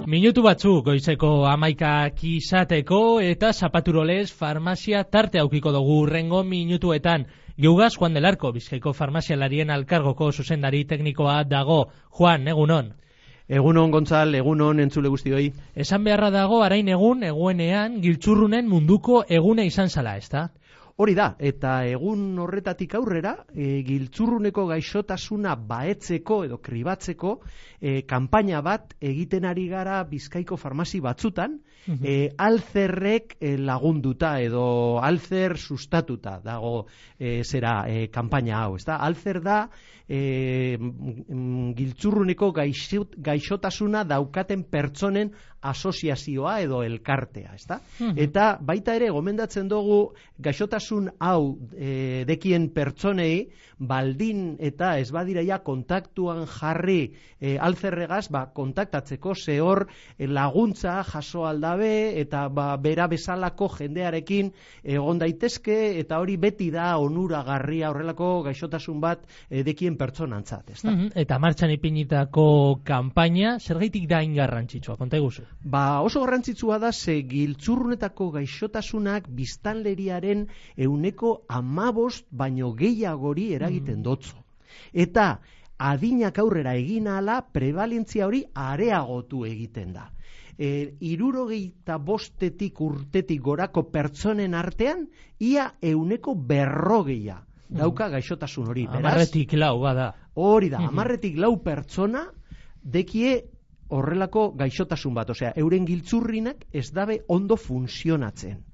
Minutu batzuk goizeko 11 izateko eta zapaturolez farmazia tarte aukiko dugu urrengo minutuetan. Geugaz Juan del Arco, Bizkaiko farmazialarien alkargoko zuzendari teknikoa dago. Juan, egunon. Egunon, Gontzal, egunon entzule guztioi. Esan beharra dago, arain eguenean, giltzurrunen munduko egune izan zala, ezta? Hori da, eta egun horretatik aurrera, giltzurruneko gaixotasuna baetzeko edo kribatzeko kanpaina bat egiten ari gara Bizkaiko farmazi batzutan, alzerrek lagunduta edo alzer sustatuta dago kanpaina hau, ezta? Alzer da giltzurruneko gaixotasuna daukaten pertsonen asoziazioa edo elkartea, ezta? Eta baita ere gomendatzen dugu gaixotasun hau dekien pertsonei baldin eta ez badiraia kontaktuan jarri alzerregaz kontaktatzeko zehor laguntza jaso aldabe eta bera bezalako jendearekin egon daitezke eta hori beti da onuragarria horrelako gaixotasun bat dekien pertsonantzat, ezta? Eta martxan ipinitako kanpaina zergaitik da garrantzitsua, konta eguzu? Oso garrantzitsua da ze giltzurrunetako gaixotasunak biztanleriaren 15% baino gehiagori eragiten dotzo. Eta adinak aurrera egin ahala prebalentzia hori areagotu egiten da. 65 urtetik gorako pertsonen artean ia 140 dauka gaixotasun hori. 10-4 bada. Hori da, 10-4 pertsona dekie horrelako gaixotasun bat, osea, euren giltzurrinak ez dabe ondo funtzionatzen.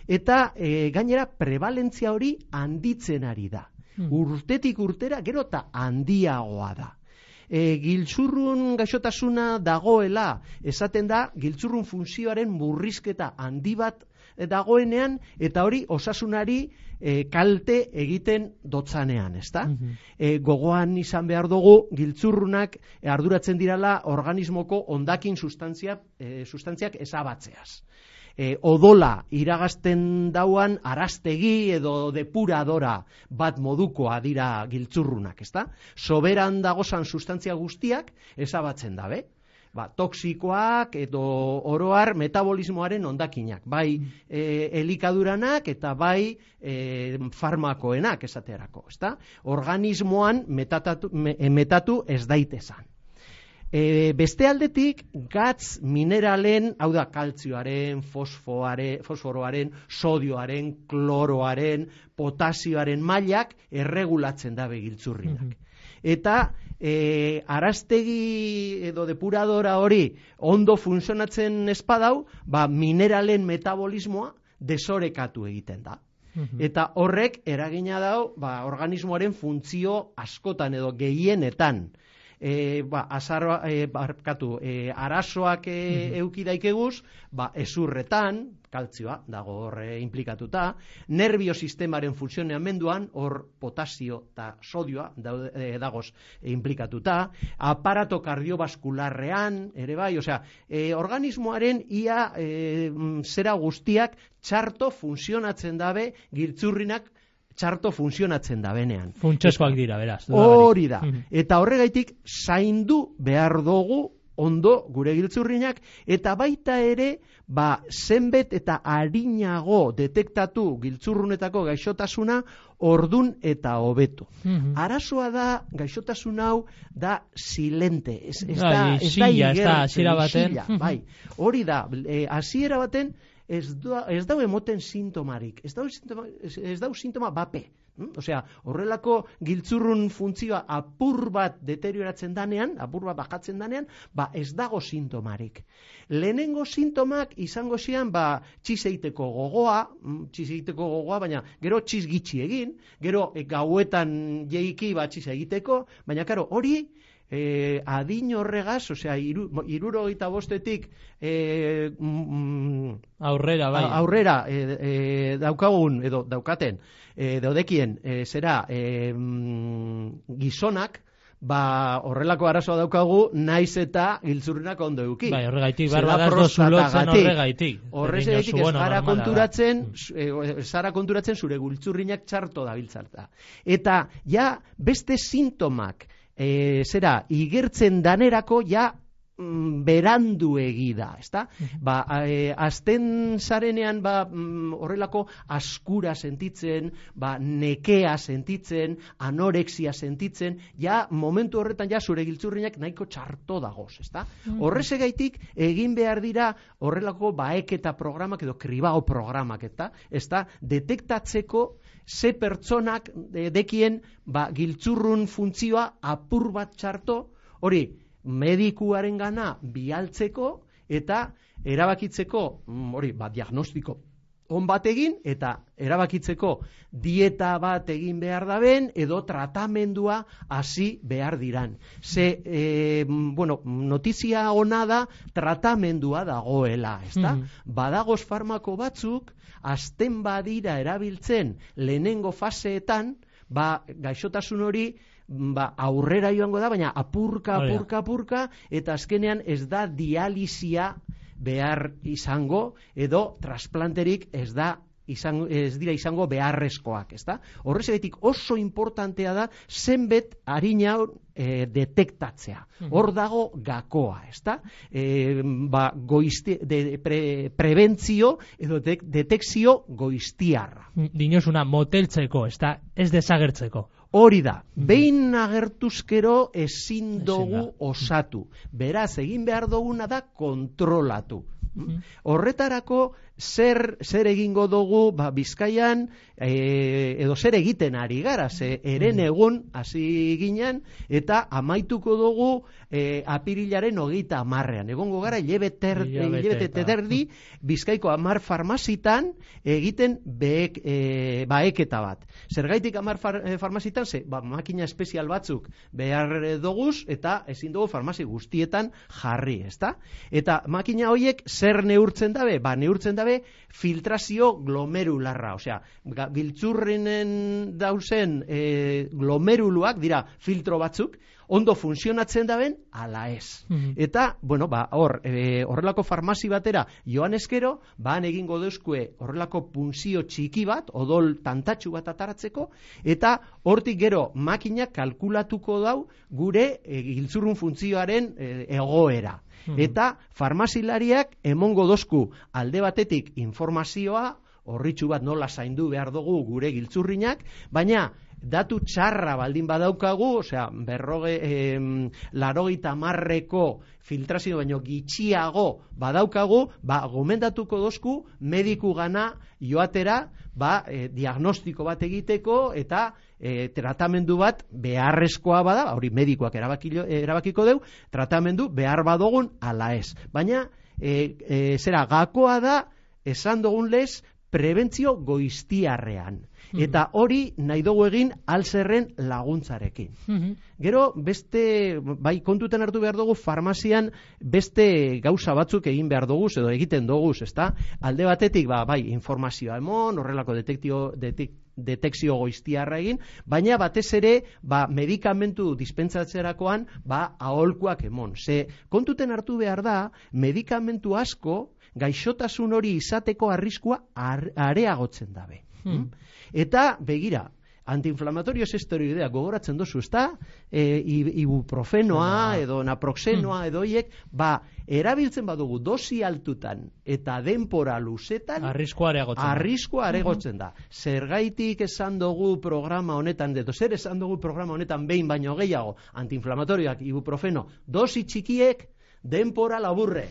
Eta gainera prebalentzia hori handitzen ari da. Urtetik urtera gero eta handiagoa da. Giltzurrun gaixotasuna dagoela, esaten da, giltzurrun funtzioaren murrizketa handi bat dagoenean, eta hori osasunari kalte egiten dotzanean, ezta? Gogoan izan behar dugu, giltzurrunak arduratzen dirala organismoko hondakin sustantziak ezabatzeaz. Odola iragazten dauan arastegi edo depuradora bat modukoa dira giltzurrunak, ezta? Soberan dagozan sustantzia guztiak ezabatzen dabe. Toxikoak edo oroar metabolismoaren hondakinak, bai elikaduranak eta bai farmakoenak esaterako, ezta? Organismoan metatu ez daitezan. Beste aldetik, gatz mineralen, hau da, kaltzioaren, fosforoaren, sodioaren, kloroaren, potasioaren mailak erregulatzen dabe giltzurrinak. Eta arastegi edo depuradora hori ondo funtzionatzen espadau, mineralen metabolismoa desorekatu egiten da. Eta horrek eragina dau organismoaren funtzio askotan edo gehienetan. Arazoak euki daikeguz, ezurretan, kaltzioa dago hor implikatuta, nervio sistemaren funtzionamenduan, hor potasio eta sodioa dagoz implikatuta, aparato kardiobaskularrean, ere bai, osea, organismoaren ia zera guztiak txarto funtzionatzen dabe giltzurrinak txarto funtzionatzen da benean. Funtsezkoak dira, beraz. Hori da. Eta horregaitik zaindu behar dugu ondo gure giltzurrinak, eta baita ere, zenbet eta arinago detektatu giltzurrunetako gaixotasuna ordun eta hobetu. Arazoa da, gaixotasun hau da silente. Ez da igertzen. Hori da, hasiera baten, ez dau emoten sintomarik, ez dau sintoma bape. Osea, horrelako giltzurrun funtzioa apur bat deterioratzen danean, apur bat bajatzen danean, ez dago sintomarik. Lehenengo sintomak izango zian, txiz egiteko gogoa, baina gero txiz gitxi egin, gero gauetan jeiki txiz egiteko, baina karo, hori adin horregaz, osea, 65 aurrera daukagun edo daukaten daudekien gizonak, horrelako arazoa daukagu naiz eta giltzurrinak ondo eduki. Horregaitik, barbadaz dozulotzen horregaitik. Horregaitik ez zara konturatzen zure giltzurrinak txarto dabiltzarta. Eta beste sintomak igertzen danerako berandu egida, ezta? Azten zarenean horrelako askura sentitzen, nekea sentitzen, anorexia sentitzen, ja momentu horretan ja zure giltzurrinak nahiko txarto dagoz, ezta? Horrezegaitik egin behar dira horrelako baeketa programak edo kribao programak, ezta? Detektatzeko ze pertsonak dekien giltzurrun funtzioa apur bat txarto, hori medikuaren gana bialtzeko eta erabakitzeko, diagnostiko on bat egin eta erabakitzeko dieta bat egin behar daben edo tratamendua hasi behar diran. Notizia ona da tratamendua dagoela, ezta? Badagoz farmako batzuk, azten badira erabiltzen lehenengo faseetan, gaixotasun hori aurrera joango da, baina apurka, eta azkenean ez da dialisia behar izango, edo trasplanterik ez dira izango beharrezkoak, ezta? Horrezagatik oso importantea da zenbet harina detektatzea. Hor dago gakoa, ezta? Prebentzio edo detekzio goiztiarra. Dinosuna moteltzeko, ezta? Ez desagertzeko. Hori da, behin agertuzkero ezin dugu osatu. Beraz, egin behar duguna da kontrolatu. Horretarako zer egingo dugu Bizkaian edo zer egiten ari gara, eren egun hasi ginen eta amaituko dugu apirilaren 30. Egongo gara hilabete terdi Bizkaiko 10 farmazitan egiten baeketa bat. Zergaitik 10 farmazitan, makina espezial batzuk behar doguz eta ezin dugu farmazi guztietan jarri, ezta? Eta makina horiek zer neurtzen dabe? Neurtzen dabe filtrazio glomerularra, osea, giltzurrinen dauzen glomeruluak dira filtro batzuk, ondo funtzionatzen daben, ala ez. Eta, horrelako farmazi batera joan eskero, egingo deuzkue horrelako punzio txiki bat, odol tantatxu bat ataratzeko, eta hortik gero makinak kalkulatuko dau gure giltzurrun funtzioaren egoera. Eta farmazilariak emongo dozku alde batetik informazioa, horritxu bat nola zaindu behar dugu gure giltzurrinak, baina datu txarra baldin badaukagu, osea, 80ko filtrazio baino gitxiago badaukagu, gomendatuko dozku mediku gana joatera, diagnostiko bat egiteko eta tratamendu bat beharrezkoa bada, hori medikuak erabakiko deu, tratamendu behar badogun ala ez. Baina, gakoa da, esan dugun lez, prebentzio goiztiarrean. Eta hori nahi dugu egin alzerren laguntzarekin. Gero, kontutan hartu behar dugu farmazian beste gauza batzuk egin behar dugu, edo egiten dugu, ezta? Alde batetik, informazioa emon, horrelako detekzio goiztiarra egin, baina batez ere, medikamentu dispentsatzerakoan, aholkuak emon. Kontuten hartu behar da, medikamentu asko, gaixotasun hori izateko arriskua areagotzen dabe. Eta, begira, antiinflamatorios esteroidea gogoratzen dozu, ezta? Ibuprofenoa edo naproxenoa edo hiek, erabiltzen badugu dosi altutan eta denpora luzetan, arriskua areagotzen da. Zergaitik esan dugu programa honetan, zer esan dugu programa honetan behin baino gehiago, antiinflamatorioak, ibuprofeno, dosi txikiek, denpora laburre.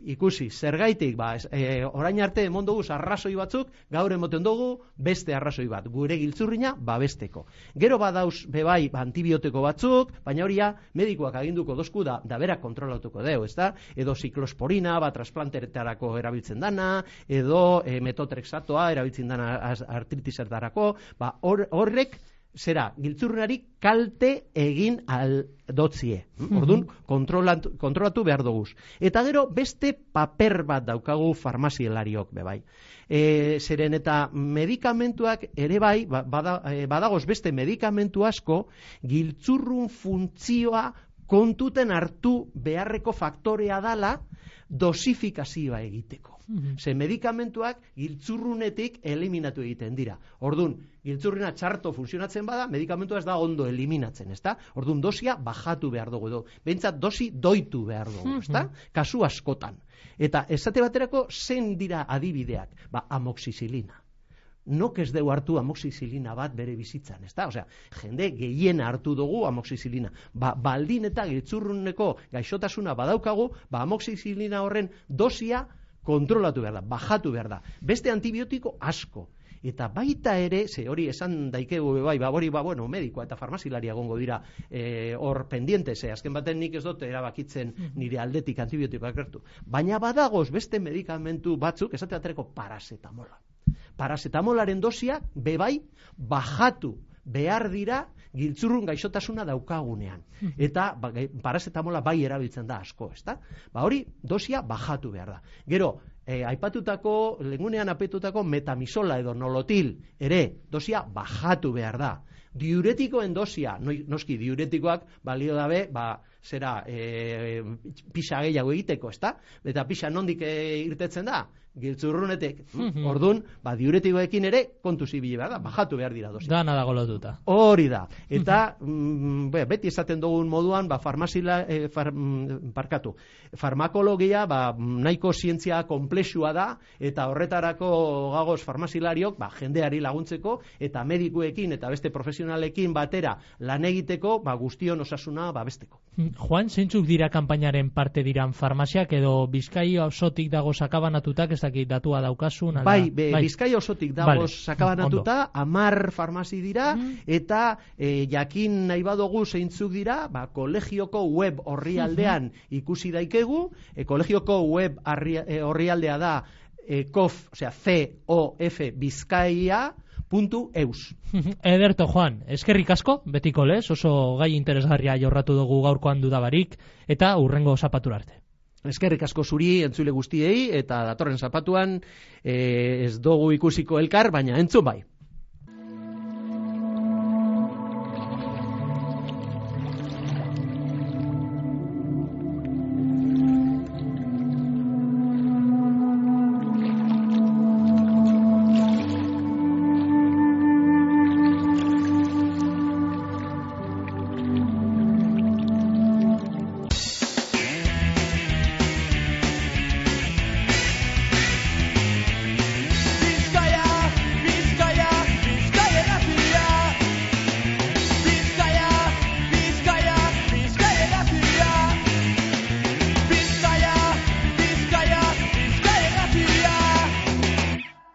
Ikusi, zergaitik, orain arte emon dugu arrazoi batzuk, gaur emoten dugu beste arrazoi bat, gure giltzurrina babesteko. Gero badauz bebai antibiotiko batzuk, baina horia medikuak aginduko dozku da berak kontrolatuko deu, ezta? Edo ziklosporina, trasplanteretarako erabiltzen dana, edo metotrexatoa erabiltzen dana artritisertarako, horrek giltzurrari kalte egin aldotzie. Orduan, kontrolatu behar duguz. Eta gero, beste paper bat daukagu farmazielariok, bebai. Zeren eta medikamentuak ere bai, badagoz beste medikamentu asko, giltzurrun funtzioa kontuten hartu beharreko faktorea dala, dosifikazioa egiteko. Ze medikamentuak giltzurrunetik eliminatu egiten dira. Ordun, giltzurruna txarto funtzionatzen bada, medikamentua ez da ondo eliminatzen, ezta? Ordun, dosia bajatu behar dugu edo. Behintzat dosi doitu behar dugu, ezta? Kasu askotan. Eta esate baterako zein dira adibideak? Amoxizilina. Nok ez dugu hartu amoxizilina bat bere bizitzan, ezta? Osea, jende gehiena hartu dugu amoxizilina. Baldin eta giltzurruneko gaixotasuna badaukagu, amoxizilina horren dosia kontrolatu behar da, bajatu behar da. Beste antibiotiko asko. Eta baita ere, ze hori esan daikegu hori medikoa eta farmazilaria egongo dira hor pendiente, ze azken baten nik ez dut erabakitzen nire aldetik antibiotikoak hartu. Baina badagoz beste medikamentu batzuk, esate baterako parasetamola. Parasetamolaren dosiak bebai bajatu behar dira giltzurrun gaixotasuna daukagunean. Eta parasetamola bai erabiltzen da asko, ezta? Hori dosia bajatu behar da. Gero, aipatutako, lengunean apetutako metamisola edo nolotil ere dosia bajatu behar da. Diuretikoen dosia, noski diuretikoak balio dabe, pixa gehiago egiteko, ezta? Eta pixa nondik irtetzen da? Giltzurrunetek. Ordun, diuretikoekin ere kontu zibile behar da, bajatu behar dira dosia. Dana dago lotuta. Hori da. Eta beti esaten dugun moduan, farmakologia nahiko zientzia konplexua da, eta horretarako gagoz farmazilariok jendeari laguntzeko, eta medikuekin eta beste profesionalekin batera lan egiteko, guztion osasuna babesteko. Juan, zeintzuk dira kanpainaren parte diran farmaziak edo Bizkaia osotik dago sakabanatutak, ez dakit datua daukasun? Bizkaia osotik dago sakabanatuta, 10 farmazi dira, eta jakin nahi badugu zeintzuk dira, kolegioko web orrialdean ikusi daikegu, kolegioko web orrialdea da COF Bizkaia.eus. Ederto, Juan, eskerrik asko, betiko lez, oso gai interesgarria jorratu dugu gaurkoan dudabarik, eta hurrengo zapatura arte. Eskerrik asko zuri entzule guztiei, eta datorren zapatuan ez dugu ikusiko elkar, baina entzun bai.